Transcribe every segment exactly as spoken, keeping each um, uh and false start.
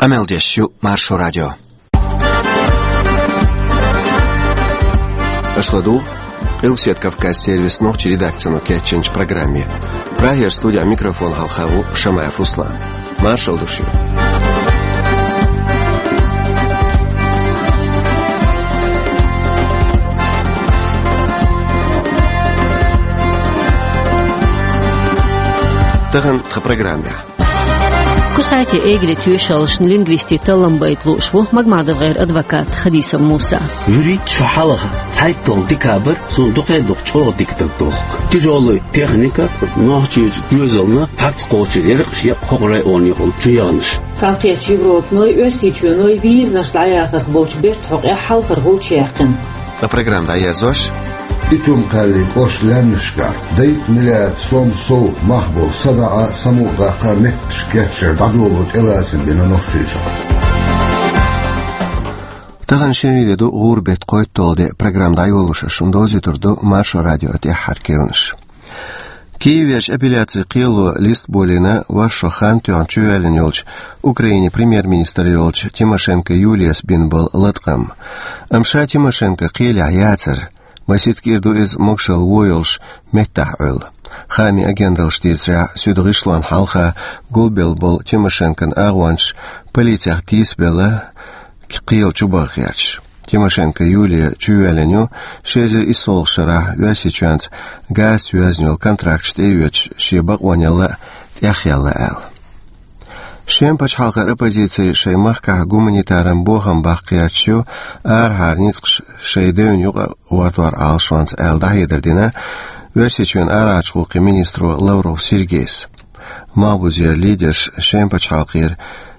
Къамел деш ю Маршо радио. Аша ладугӀу Къилбаседа Кавказ сервисан нохчийн редакцино кечйинчу программе. Прагера студехь микрофон хьалха ву Шамаев Руслан. Маршалла ду шуьга. Тахана тхан программехь. Кусайте-Эгле тоьшаллашна лингвистийн таллам байта лууш ву МагмадовгӀеран адвокат Хадисов Муса. ВуьрхӀитта шо хьалха цхьайтталгӀа декабрь суна дукха а дукха чӀогӀа дика даг дохку. Тяжёлая техника, нохчийн доьзална цхьацца кхочур яра шен хӀокху районехула чу яханаш. Цхьаьнакхеттачу Европаной, Оьрсийчоьной визанаш дӀаяхарх болчу бертан хьокъехь хьалхара гӀулч яьккхина. Ткъа программа дӀаерзош: Итум-Кхаьллин кӀоштан лаьмнашкахь дейтта миллиард сом сов мах болу садаӀа, самукъадаккха метташ кечъяр дӀадоло тӀелацам бина Нохчийчохь. Тахана шинарин де ду, гӀуран беттан кхойтталгӀа де. Программа дӀайолош шуна довзуьйтур ду Маршо радион тӀаьххьара керланаш. Киевехь апелляцин кхело листа болийна ворхӀ шо хан тоьхна чувоьллина йолчу, Украинин премьер-министр йолчу Тимошенко Юлияс бина болу латкъам. Амма ша Тимошенко кхелехь яцара. Масийтта кӀира ду иза могушалла вон йолуш меттахь Ӏуьллу. Хаамийн агенталлаш дийцарехь, суьда гӀишлонна хьалха гулбелла болу Тимошенкон агӀончаш полицех тийсабелла, кхело чубаха гӀерташ. Тимошенко Юлия чувоьллина ю ши эзар исс шарахь Оьрсийчоьнца газца йоьзна йолу контракташ тӀеоьцуш шен бакъонал а тӀехъяьлла аьлла. Шеман пачхьалкхан оппозици шайн махкахь гуманитаран бохам баккха гӀерташ ю, арахьара ницкъаш шайн девнна юкъа гӀортор Ӏалашонца аьлла, дӀахьедар дина Оьрсийчоьнан арахьарчу гӀуллакхийн министро Лавров Сергейс. Малхбузера лидерш Шеман пачхьалкхера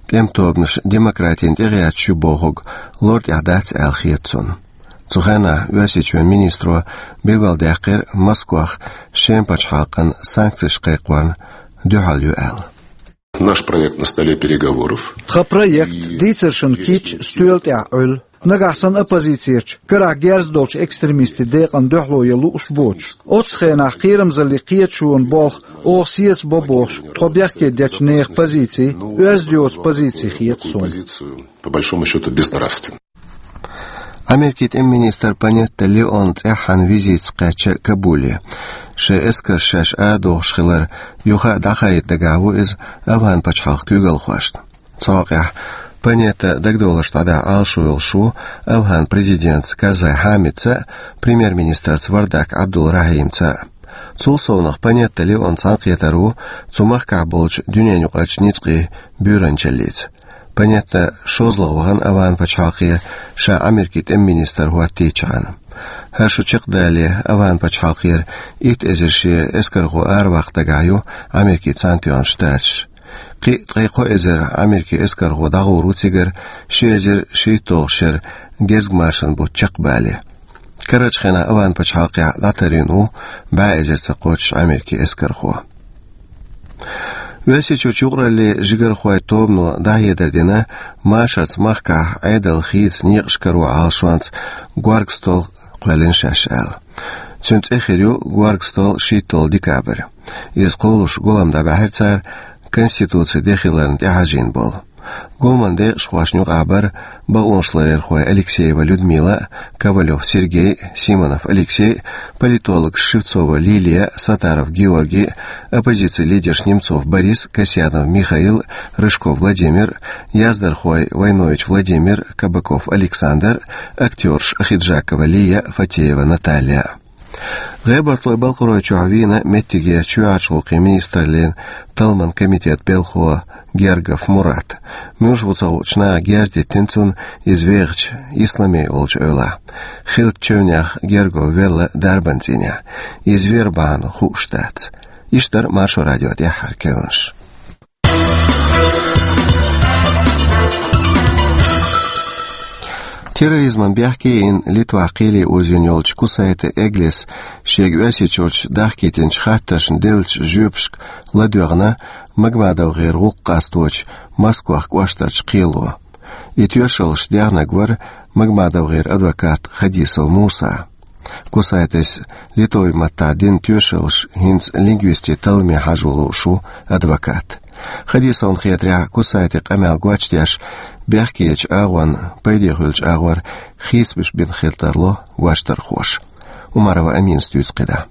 тӀеман тобанаш демократина тӀегӀерташ ю бохург лар тӀехь дац аьлла хета цунна. Цу хенахь Оьрсийчоьнан министро билгалдаьккхира Москвах Шеман пачхьалкхана санкцеш кхайкхорна дуьхьал ю аьлла. Наш проект на столе переговоров. Тхан проект дийцаршна кийча стоьла тӀехь Ӏуьллу. Нагахь санна оппозицерчу карахь герз долчу экстремистийн декъана дуьхьало ян лууш боцуш, оццу хенахь кхерамзаллин кхеташонан болх оха сецабо бохуш, тхо бехке дечу нехан позици оьзда йоцу позици хета суна. По большому счёту, безнравственно. Америкин тӀеман министр Панетта Леон цӀеххьана визитца кхаьчна Кабуле. Шайн эскарш шаьш арадохуш хилар юха а дӀахаийта дагахь ву иза АфгӀан пачхьалкхан куьйгалхошна. Цу хьокъехь Панетта дагадовларш дӀадаха Ӏалашо йолуш ву АфгӀан президентца Карзай Хьамидца а, премьер-министрца Вардак Ӏабдул-Рахьимца а. Цул совнаха Панетта Леон цхьаьнакхетар ву цу махкахь болчу дуьненаюкъарчу ницкъийн буьйранчаллица. Панетта шозлагӀа вахана АфгӀан пачхьалкхе ша Америкин тӀеман министр хӀоттийчахьана. ХӀара шо чекхдале АфгӀан пачхьалкхера итт эзар шен эскархо араваккха дагахь ю Америкин Цхьаьнатоьхна Штаташ. Кхин а ткъе кхо эзар Америкин эскархо дӀагӀур ву цигара ши эзар шийтталгӀачу шеран гезгмашан бутт чекхбале. Карарчу хенахь АфгӀан пачхьалкхехь дӀатарйина ву бӀе эзарца кхоччуш Америкин эскархо. Оьрсийчуьрчу юкъараллин жигархойн тобано дӀахьедар дина, машарца махкахь Ӏедалан хийца некъаш каро Ӏалашонца горга стол кхоьллина шаьш аьлла. Цуьнан цӀе хир ю горга стол шийтталгӀа декабрь. Иза кхоллалуш гулам дӀабаьхьира цара, Конституцин де хиларна тӀехьажийна болу. Гуламан декъашхошна юкъахь бара бакъонашларъярхой Алексеева Людмила а, Ковалёв Сергей а, Симонов Алексей а, политологаш Шевцова Лилия а, Саттаров Георгий а, оппозицин лидерш Немцов Борис а, Касьянов Михаил а, Рыжков Владимир а, яздархой Войнович Владимир а, Кабаков Александр а, актёраш Ахиджакова Лия а, Фатеева Наталья а. ГӀебартойн-Балкхаройчохь вийна меттигера чоьхьарчу гӀуллакхийн министраллин талламан комитетан белхало Гергов Мурат. Муьлш ву ца хуучу наха герз диттина цунна иза вехачу Исламей олучу эвлахь. Хилча чевнех Гергов велла дарбан цӀийнехь. Иза вер бахьана хууш дац. Иштта дара Маршо радион тӀаьххьара керланаш. Терроризман бехке йина, Литвахь кхеле озийна йолчу Кусайте Эглес шега Оьрсийчуьрчу дахкийтинчу хаттаршна деллачу жоьпашка ладоьгӀна МагмадовгӀеран гӀуллакх къасточу Москвах кӀоштарчу кхело. И тоьшаллаш дехнарг вара МагмадовгӀеран адвокат Хадисов Муса. Кусайтес литовски маттахь дина тоьшаллаш хӀинца лингвистийн талламе хьажо лууш ву адвокат. Хадисовна хетарехь, Кусайте къамел гочдеш, бехкечу агӀонна пайде хуьлучу агӀор хьесапаш бина хир тарло гочдархоша. Умарова Аминас дуьйцу кхидӀа.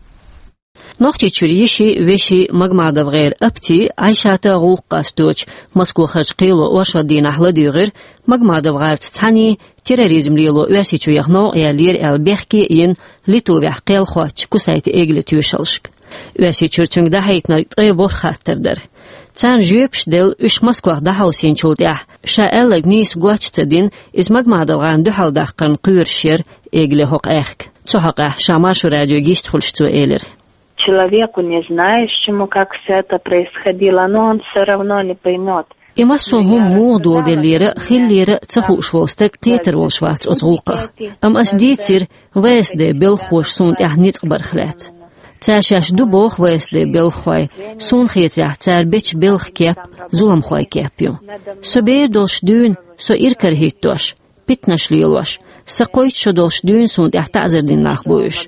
Нохчийчуьра йиши, веши МагмадовгӀеран Апти, Ӏайшата гӀуллакх къасточу Москвахарчу кхело оршот дийнахь ладуьйгӀира МагмадовгӀарца цхьаьний терроризм лело Оьрсийчу яха новкъа яьллера аьлла бехке а йина, Литвехь кхел хоттучу Кусайте Эглин тоьшаллашка. Оьрсийчуьра цуьнга дӀахьийтинарг ткъе ворхӀ хаттар дара. Царна жоьпаш делла, уьш Москвах дӀахьовсийначул тӀаьхьа, ша аьлларг нийса гоча ца дина, иза МагмадовгӀарна дуьхьал даккхарна кхоьруш яра Эгли хӀокху аьхка. Цу хьокъехь ша Маршо радиога йист хуьлуш цо элира: Человеку, не знающему, как всё это происходило, но он всё равно не поймёт. И массо а хӀума муха доладеллера, хиллера а ца хууш волу стаг кхетар волуш вац оцу гӀуллакхах. Амма ас дийцира В С Д белхахоша суна тӀехь ницкъ барх лаьцна. Цара шаьш ду боху В С Д белхахой, суна хетарехь, цара бечу белхан кеп зуламхойн кеп ю. Со бер долуш дуьйна, со иракарахӀиттош, питанаш лелош, сан кхойтта шо долуш дуьйна суна тӀехь таӀзар дина нах бу уьш.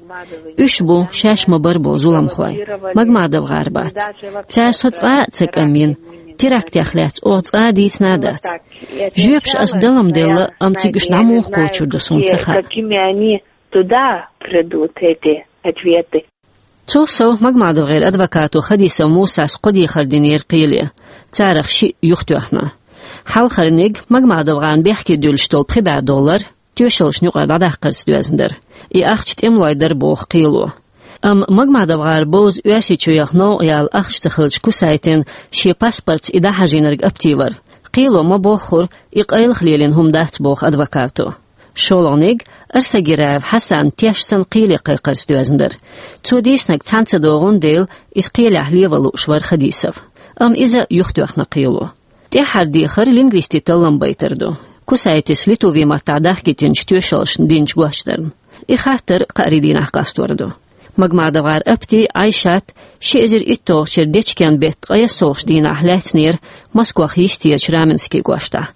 Уьш бу шаьш ма-барра болу зуламхой. МагмадовгӀар бац. Цара со цкъа а ца кӀамйина, терактех лаьцна оха цкъа а дийцина а дац. Жоьпаш ас далам делла, амма цига уьш дӀа муха кхочур ду, суна ца хаьа. Какими они туда придут, эти ответы? Цул сов МагмадовгӀеран адвокато Хадисов Мусас кхо дехар динера кхеле, царах шиъ юхатоьхна. Хьалхарниг МагмадовгӀарна бехке дуьллуш долу пхи бӀе доллар тоьшаллашна юкъара дӀадаккхарца доьзна дара. И ахча тӀемалойн дара боху кхело. Амма МагмадовгӀар бовза Оьрсийчу яха новкъа яла ахча ца хилча, Кусайтина шен паспортца и дӀахьажийнарг Апти вара. Кхело ма-боххура, и къайлаха лелийна хӀума дац боху адвокато. ШолгӀаниг Арсагираев Хьасан теш санна кхеле кхайкхарца доьзна дара. Цо дийцинарг цхьаьна ца догӀун дела, иза кхелехь леван лууш вара Хадисов. Амма иза юхатоьхна кхело. ТӀаьххьара дехар лингвистийн таллам байтар ду, Кусайтис литви маттахь дахкийтинчу тоьшаллашна динчу гочдарна. И хаттар кхаарин дийнахь къастор ду. МагмадовгӀар Апти, Ӏайшат ши эзар итталгӀачу шеран дечкен-беттан ткъе совгӀатчу дийнахь лаьцнера Москвах йистерчу Раменский кӀоштахь.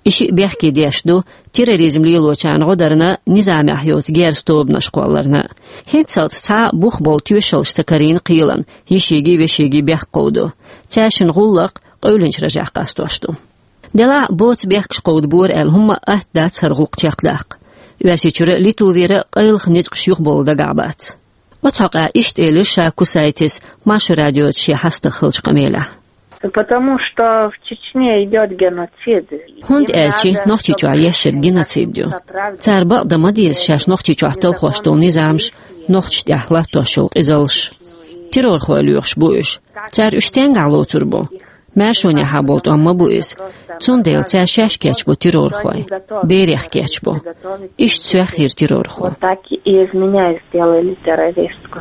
И шиъ бехке деш ду терроризм лелочарна гӀо дарна, низамехь йоцу герза тобанаш кхолларна. ХӀинццалц цхьа а бух болу тоьшаллаш ца карийна кхелан йишигийн, вешигийн бехк кховдо. Цаьршиннан гӀуллакх къевлинчу рожехь къастош ду. Делахь а боцу бехкаш кховдабора аьлла хӀумма а атта дац хӀара гӀуллакх чекхдаккха. Оьрсийчуьра а, Литвера а къайлаха ницкъаш юхабовла дагахь бац. Оцу хьокъехь иштта элира ша Кусайтис Маршо радиоца шен хьастагӀа хиллачу къамелехь. Потому что в Чечне идёт геноцид. ХӀунда аьлча Нохчийчохь еш ерг геноцид ю. Цара бакъдан ма деза шаьш Нохчийчохь талхош долу низамаш, нохчашна тӀехь латтош йолу къизаллаш. Террорхой лоьхуш бу уьш. Цара уьш стенгахь лоцур бу? Маьршонехьа болу тӀом ма бу иза. Цундела цара шаьш кечбо террорхой. Берех кечбо. Иштта соьх хир террорхо. Вот так и из меня сделали террористку.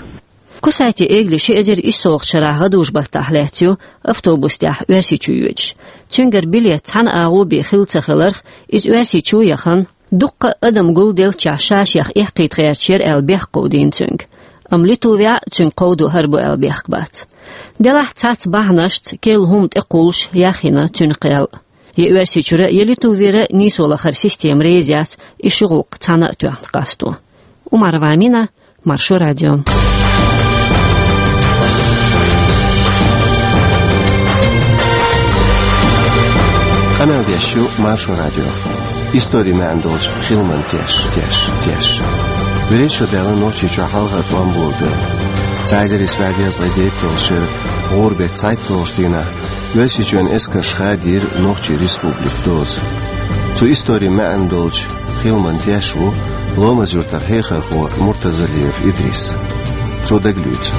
Кусайте Эгли ши эзар иссалгӀачу шарахь гӀадужу-баттахь лаьцна ю автобус тӀехь Оьрсийчу йоьдуш. Цуьнгара билет цхьана агӀо бен хилла ца хиларх, иза Оьрсийчу яхана, дуккха а адам гулделлачохь ша-шех эккхийта гӀерташ яра аьлла бехк кховдийна цуьнга. Амма Литвехь а цуьнга кховдо хӀара бу аьлла бехк бац. Делахь цхьацца бахьанашца керла хӀума тӀекхуллуш яхйина цуьнан кхел. Я Оьрсийчуьра, я Литвера нийсо лахара система реза яц и ши гӀуллакх цхьаьна а тоьхна къасто. Умарова Амина, Маршо радио. Къамел деш ю Маршо радио. Историн маьӀна долчу хиламан теш, теш, теш. ВуьрхӀитта шо даьлла Нохчийчохь хьалхара тӀом болабелла. Цхьа эзар исс бӀе дезткъе дейтталгӀачу шеран гӀуран беттан цхьайтталгӀачу дийнахь Оьрсийчоьнан эскарша хадийра Нохчийн республикан доза. Цу историн маьӀна долчу хиламан теш ву Ломаз-Юьртара хьехархо Муртазалиев Идрис. Цо дагалоьцу.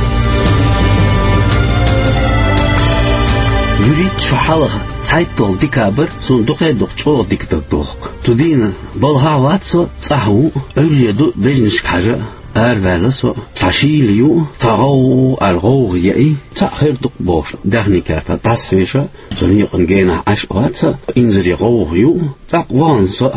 ВуьрхӀитта шо хьалха, цхьайтталгӀа декабрь, суна дукха а дукха чӀогӀа дика дагадоху. Цу дийнан балхахь вац со, цӀахь ву, Ӏуьрре ду бежнашка хьажа а. Араваьлла со, цхьа шийла ю, цхьа гӀовгӀа аьлла гӀовгӀа яи, цхьаъ хир ду-кх бохуш, даьхнийн кертахь дӀасахьоьжуш, со некъан генахь Ӏаш а вац, инзаре гӀовгӀа ю, тӀаккха вахана со,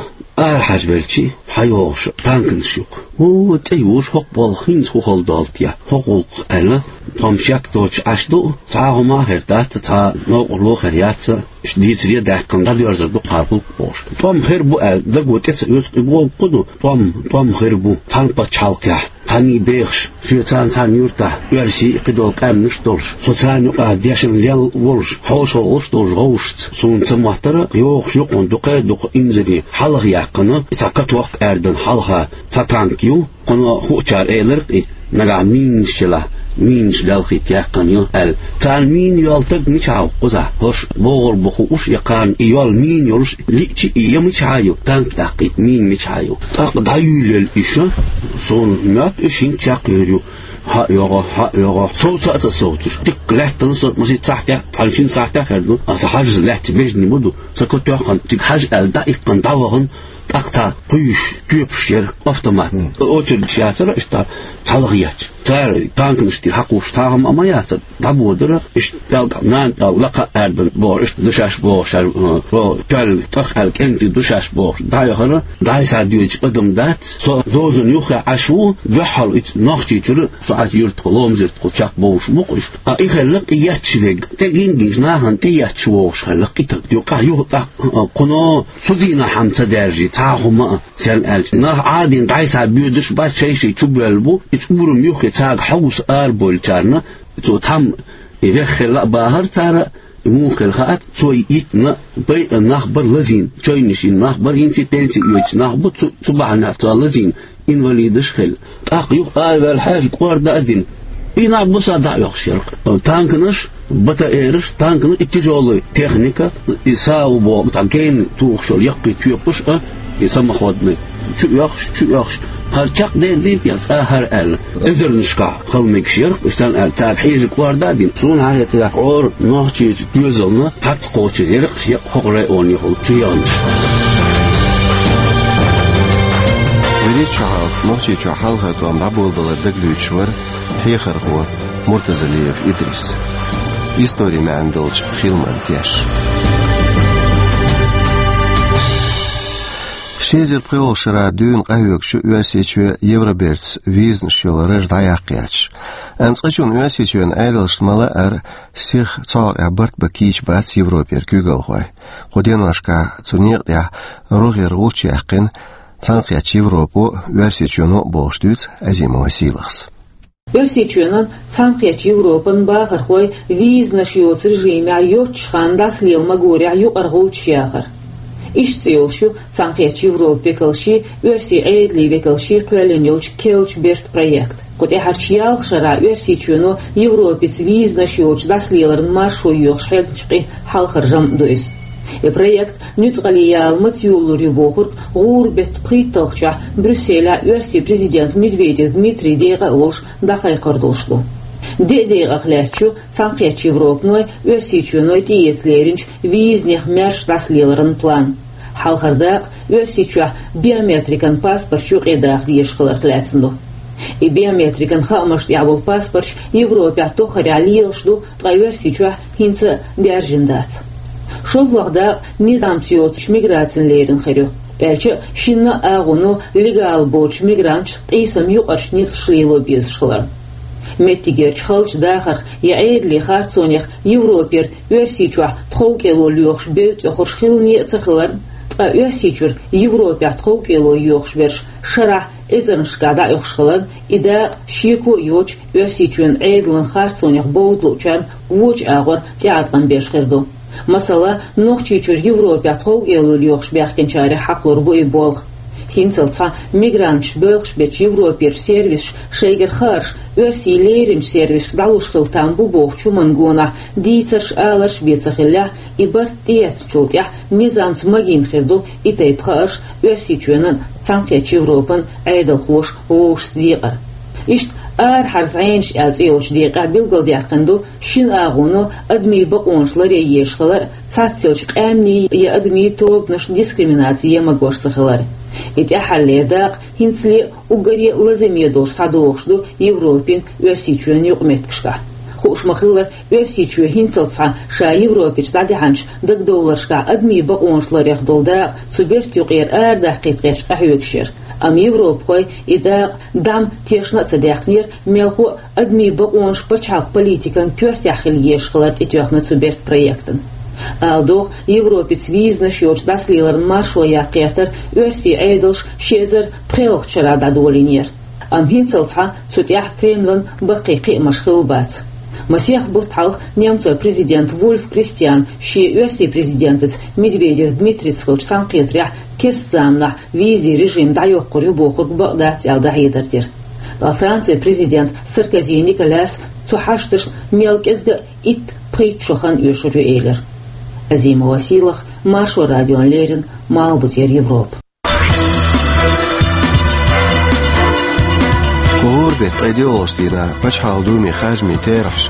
арахьажа велчи, хьайогӀуш танканаш ю-кх. О, тӀе юуш хӀокху болх хӀинца хӀун хала долу те, хӀокху гӀуллакхах аьлла, тхо-м шек доцуш Ӏаш ду, цхьа а хӀума а хир дац, цхьа новкъарло а хир яц, уьш дийцаре а даьккхина, дӀадоьрзур ду кхара гӀуллакх бохуш. ТӀом хир бу аьлла, даго тӀе ца оьцу, и гӀуллакх хӀун ду, тӀом, тӀом хир бу, цхьана пачхьалкхехь цхьанний бехаш, соьца цхьана юьртахь оьрсий а, кхидолу къаьмнаш а долуш, со царна юкъахь дешна лелла волуш, хьошалгӀа волуш долчу гӀовшашца. Суна ца моттара, йогӀуш юкъана дукха а дукха инзаре хьалха яьккхина, и цхьа каток аьрдан хьалха цхьа танк ю, кхуьнан хуучара элира-кх и, нагахь минаш елахь, минаш лелхийта яьккхина ю аьлла. Царна мина йолу стаг мичахь ву кхузахь? ХӀорш богӀур бу хууш, я кхарна и йолу мина йолуш лиъча, и я мичахь ю, танк яккхийта мина мичахь ю? ТӀаккха дӀаюьйлаелла иша, суна моьтту, уьш хӀинца чекхйийр ю. Хьа а йогӀу, хьа а йогӀу, совца а ца совцуш. Дикка лаьттина со, масийтта сахьтехь, цхьана шина сахьтехь хир ду. Аса хьажаза лаьттачу бежнийн ма ду. Сан катоьхна, цига хьажа аьлла, дӀаиккхина, дӀавахана, тӀаккха цхьа кхуьйсуш, тоьпаш яра автомат. Очередаш яцара иштта цхьалха етташ. Цара танканаш тӀера хьакхуьйсуш, тахана а ма яцара, дӀабодара, иштта пӀелг нана пӀелг лакха а аьрдан бохуш, иштта ду шаьш бохуш, аьлла, э, тоьлла, тӀах аьлла, кӀентий ду шаьш бохуш, дӀаяхара, дӀасадоьдуш адам дац, со дозанна юххе Ӏаш ву, дуьххьал иштта Нохчийчуьра, со Ӏачу юьртахула, Ломза-Юьртахула чекхбовлуш бу-кх уьш. Ткъа и хилларг и етташ верг, тӀе гингинчу нахана тӀе етташ вогӀуш хилларг и стаг. Юкъахь, юха тӀаккха, а, кхуьнан цу дийнахь хӀума ца даьржий, цхьа а хӀума а, церан аьлча. Нах Ӏадийна дӀасабоьдуш бац, шай-шай чубоьлла бу, иза урам юххе цаьрга хьовса арабевллачарна, цо цхьамма и веха хилла а бахара цара, и муха хилла хаьа, цо йитина, байъина нах бара лазийна, чевнаш йина нах бара, хӀинца пенси оьцуш нах бу, цу, цу бахьанехь цо лазийна, инвалидаш а хилла. ТӀаккха юха араваьлла хьаьжа кӀорда а дина. И нах буса дӀа а оьхуш яра-кх. Танканаш, БТР-аш, танканаш, и тяжёлая техника, и САУ боху, цхьа генна тухуш йолу яккхий тоьпаш а, и самоходный. Чу оьхуш, чу оьхуш. ХӀара чекхдер дийпа я цкъа хӀара аьлла. Эзарнашкахь хала мегаш яра-кх, уьш царна аьлла, цара хьежа кӀорда а дина. Суна хьахетарехь, хӀора Нохчийчу доьзална цхьацца кхочур яра-кх, шен хӀокху районехула чу яханаш. Веллачу хьалха Нохчийчохь хьалхара тӀом дӀаболабалар дагалуьйчуш вара хьехархо Муртазалиев Идрис. Историн маьӀна долчу хиламан теш. Ши эзар пхоьалгӀачу шарахь дуьйна къахьоьгуш ю Оьрсийчоь Евробертаца визанаш йолу раж дӀаяккха яц. Амма цкъачунна Оьрсийчоьнан Ӏедалшна ма-лаъара, сиха цу хьокъехь барт бан кийча бац Европера куьйгалхой. Кху деношкахь цу некъа тӀехь рогӀера гӀулч яьккхина Цхьаьнакхеттачу Европо а, Оьрсийчоьно а бохуш, дуьйцу Азимова Сийлахьас. Оьрсийчоьнан, Цхьаьнакхеттачу Европан бахархой визанаш йоцу режимехь йоццуш хан дӀасалела магорехь юкъара гӀулчаш яхар. Иштта цӀе йолуш ю Цхьаьнакхеттачу Европан векалший, оьрсийн Ӏедалийн векалший кхоьллина йолчу «Керлачу бертан» проект. Кху тӀаьхьарчу ялх шарахь Оьрсийчоьно Европаца визанаш йоцуш дӀасалеларан маршо йоьхуш хьегначу къин хьалхара жамӀ ду иза. И проект нуьцкъале яла маца йолалур ю бохург гӀуран беттан пхийтталгӀачохь Брюсселехь оьрсийн президент Медведев Дмитрий декъа а волуш дӀакхайкхор долуш ду. Деа декъах лаьтташ ю Цхьаьнакхеттачу Европаной, Оьрсийчоьной тӀеэца леринчу визанех маьрша дӀасалеларан план. Хьалхара дакъа Оьрсийчохь биометрикан паспорташ юкъадаха дезаш хиларх лаьцна ду. И биометрикан хаамашна тӀехь болу паспорташ Европехь тоххарехь лелаш ду, ткъа Оьрсийчохь хӀинца а даьржина дац. ШозлагӀа дакъа низамца йоцучу миграцина лерина хир ю, аьлча а шинна а агӀоно легал боцучу мигранташна къийсам юкъарчу ницкъаша лело безаш хиларна. Меттигерчу халчу дахарх я Ӏедалийн харцонех Европера Оьрсийчохь тховкӀело лоьхуш бевдда тӀехуьллуш хилла а ца хиларна, ткъа Оьрсийчуьра Европехь тховкӀело йоьхуш берш шарахь эзарнашкахь дӀаоьхуш хиларна, и дакъа шеко а йоцуш Оьрсийчоьнан Ӏедалан харцонех бовда луучарна вочу агӀор тӀеӀаткъам беш хир ду. Масала, Нохчийчуьра Европехь тховкӀело лоьхуш баьхкинчарех хьакхалур бу и болх. ХӀинцалц цхьа мигранташ боьлхуш бечу Европерчу сервисаша шайгара хаарш оьрсийн леринчу сервисашка дӀалуш хила там бу бохучу хӀуманна гонах дийцарш, аларш бен ца хиллехь, и барт тӀеэцначул тӀаьхьа низамца магийна хир ду и тайпа хаарш Оьрсийчоьнан, Цхьаьнакхеттачу Европан Ӏедалхоша вовшашца декъар. Иштта арахьара зӀенаш аьлла цӀе йолчу декъехь билгалдаьккхина ду шина агӀоно адамийн бакъонаш ларъян езаш хилар а, цхьаццайолчу къаьмнийн я адамийн тобанашна дискриминаци ян магош ца хилар а. И тӀаьххьара дакъа хӀинцале а уггаре а лазаме долуш схьадогӀуш ду Европин, Оьрсийчоьнан юкъаметтигашкахь. Хууш ма-хиллара, Оьрсийчоь хӀинцалц цхьа ша Европерчу дӀадихьанчу дагадовларшкахь адамийн бакъонаш ларъярх долу дакъа цу бертан юкъера арадаккхийта гӀерташ къахьоьгуш яра. Амма европахой и дакъа дӀа-м тешна а ца даьккхинера, мелхо а адамийн бакъонаш пачхьалкхан политикан коьртехь хила езаш хилар тӀетоьхна цу бертан проектана. Ала догӀу, Европица визанаш йоцуш дӀасалеларан маршо яккха гӀертар оьрсийн Ӏедалша ши эзар пхоьалгӀачу шарахь дӀадолийнера. Амма хӀинццалц цхьа цу тӀехь Кремлан баккхий кхиамаш хилла бац. Масех бутт хьалха немцойн президент Вульф Кристиан шен оьрсийн президентаца Медведев Дмитрийца хиллачу цхьаьнакхетарехь кеста заманахь визийн режим дӀайоккхур ю бохург бакъ дац аьлла дӀахьедар дира. Ткъа Францин президент Саркози Николяс цу хьашташна мел кӀезга а итт-пхийтта шо хан оьшур ю элира. Азимова Сийлаха, Маршо радиона леррина, Малхбузера Европа. КхоалгӀа беттан ткъе доьалгӀачу дийнахь Пачхьалкхан Думин харжамийн терахьаш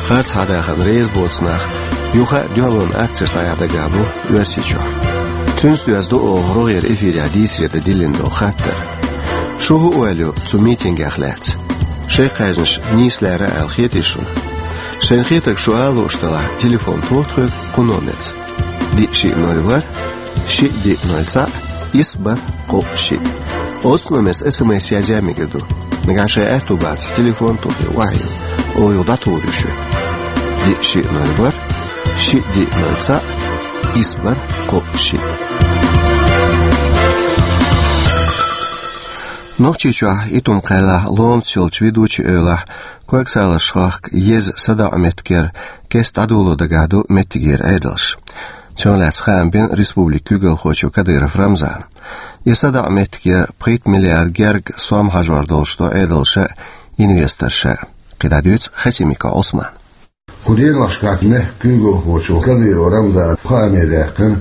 харц хьадахарна реза боцу нах юха а дуьхьалонан акцеш дӀаяхьа дагахь бу Оьрсийчохь. Цуьнца доьзна ду оха рогӀера эфирехь дийцаре дан диллина долу хаттар. Шу хӀун ойла ю цу митингех лаьцна? Шайн кхаьжнаш нийса лаьрра аьлла хетий шуна? Шайна хетарг шу ала лууш делахь, телефон тоха тхоьга кху номерца: диъ шиъ ноль ворхӀ, шиъ диъ ноль цхьаъ, исс бархӀ кхоъ шиъ. Оццу номерца СМС язъян мегар ду. Нагахь шайн аьтту бацахь, телефон а тухий, охьайилла, оха юха дӀатухур ю шуьга. Диъ шиъ ноль ворхӀ, шиъ диъ ноль цхьаъ, исс бархӀ кхоъ шиъ. Нохчийчохь Итум-Кхаьллехь ломаца йолчу ведучийн эвлахь Коьртачу Салазарчу хахка еза садоӀу меттигера кеста дӀадоло дагахь ду меттигера Ӏедалш. Цунах лаьцна хаам бина республикан куьйгалхочо Кадыров Рамзана. И садоӀу меттигера пхийтта миллиард герга сом хьажор долуш ду Ӏедалша а, инвесторша а. КхидӀа дуьйцу Хасимиков Ӏусмана. Кху деношкахь мехкан куьйгалхочо Кадыров Рамзана хааме даьккхина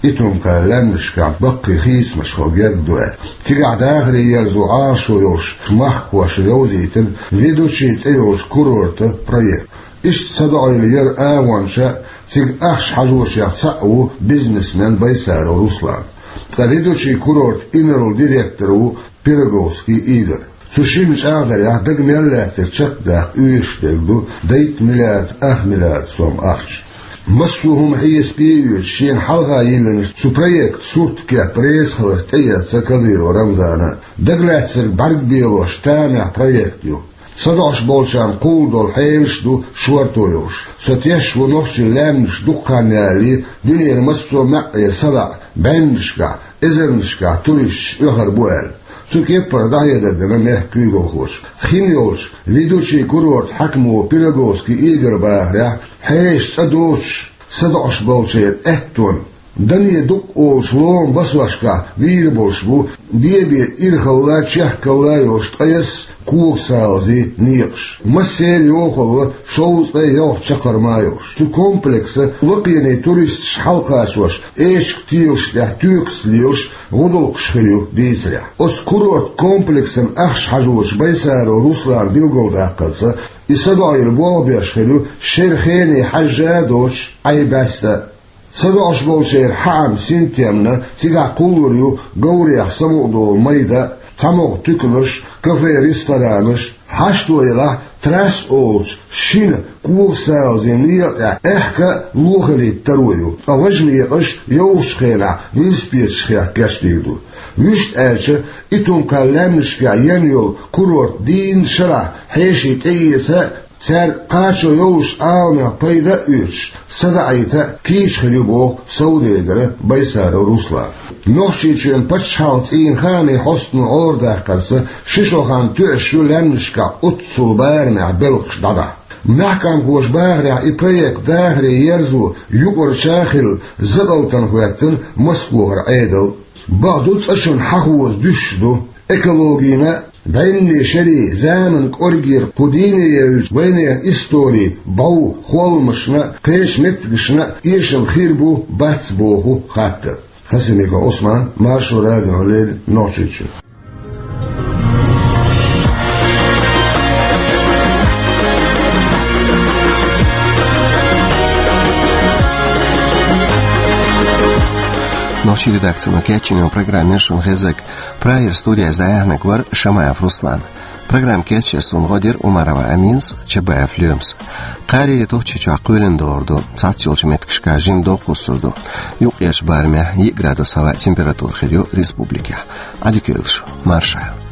Итум-Кхаьллан лаьмнашкахь баккхий хийцамаш хилла герга ду аьлла. Цигахь дахаре ерзо Ӏалашо йолуш махкахошна йовзийтина «Ведучи» цӀе йолчу курортан проект. Иштта садоӀийла яран агӀончех а, цига ахча хьажошех цхьаъ ву бизнесмен Байсаров Руслан. Ткъа «Ведучи» курортан инарла директор ву Пироговский Игорь. Цу шинна чӀагӀдарехь, дага мел лаьцнарг чекхдаккха оьшуш дерг ду дейтта миллиард ах миллиард сом ахча. Массо а хӀума хьесапе а оьцуш, шена хьалха йиллинчу цу проектан сурт кеп резахиларх тӀеэцна Кадыров Рамзана. Дагалаьцнарг бӀаьрг белош тамехь проект ю. СадоӀуш болчарна кхуллу долу хьелаш а ду шорто йолуш. Со тешаш ву, нохчийн лаьмнаш дукха хан ялале дуьненан массо а маьӀӀера садоӀу бӀеннашкахь, эзарнашкахь туристаш оьхур бу аьлла. Цу кеппара дӀахьедар дина мехкан куьйгалхочо. Хин йолчу «Ведучи» курортан хьаькамо Пироговский Игорь бахарехь, хьешан цӀа доцуш садоӀуш болчеран аьттонна, дане дукъ олучу ломан басошкахь вийр болуш бу бен-бен ирхалла а, чехкалла а йолуш ткъайесна коган салазийн некъаш. Массеран йохалла шовзткъе ялх чаккхарма а йолуш. Цу комплексан лакхене туристаш хьалакхачош, эшка телаш тӀехь тоькаца лелаш гӀудалкхаш хир ю дийцарехь. Оцу курортан комплексан ахча хьажочу Байсаров Руслана билгалдаккхарца, и садоӀийла болх беш хир ю шеран хене хьаьжжа а доцуш, Ӏай бӀаьста а. СадоӀуш болчеран хьаам синтемна, цигахь кхуллур ю говрех самукъадолу майда а, цхьамогӀа туьканаш, кафе-ресторанаш. Хьашто елахь, трасса олучу шина коган салазийн некъа тӀехь аьхка а лохаллийтта таро ю, ткъа важа некъаш йовхачу хенахь велосипедашкахь кечдийр ду. Вуьшта аьлча, Итум-Кхаьллан лаьмнашкахь ян йолу курорт дийнна шарахь хьеший тӀеэца а, цаьрга кхачо йолуш Ӏаламех пайда а оьцуш, садаӀийта а кийча хир ю, боху совдегара Байсаров Руслана. Нохчийчоьнан пачхьалкхан цӀийнан хаамийн хьостано гӀарадаккхарца, ши шо хан тоьуш ю лаьмнашкахь оццул барамехь белхаш дӀадахьа. Маьхкамхоша бахарехь, и проект дахаре ерзо юкъарча а хилла, закъалтана хӀоьттина Москохара Ӏедал. Бакъду, цӀа шуна хьахоза дуьсуш ду. Экологина а, бӀеннийн шерийн, заманан кӀоргера кху дийне евллачу вайнехан историн бӀов холламашна а, кхечу меттигашна а эшам хир бу, бац боху хаттар. Хасимиков Ӏусман, Маршо радиона леррина, Нохчийчоь. Нохчийн редакцино кечйина йолу программа яра шуна хезнарг. Прагера студиехь дӀаяьхьнарг вара Шамаев Руслан. Программа кечъеш суна гӀо дира Умарова Аминас, Чабаев Лоьмас. Кхаарин а Нохчийчохь кхоьлина догӀур ду, цхьацца йолчу меттигашкахь жимма догӀа кхуссур ду. Юккъерчу барамехь йиъ градус хӀаваан температура хир ю республикехь. Ӏадика йойла шу, марша Ӏайла.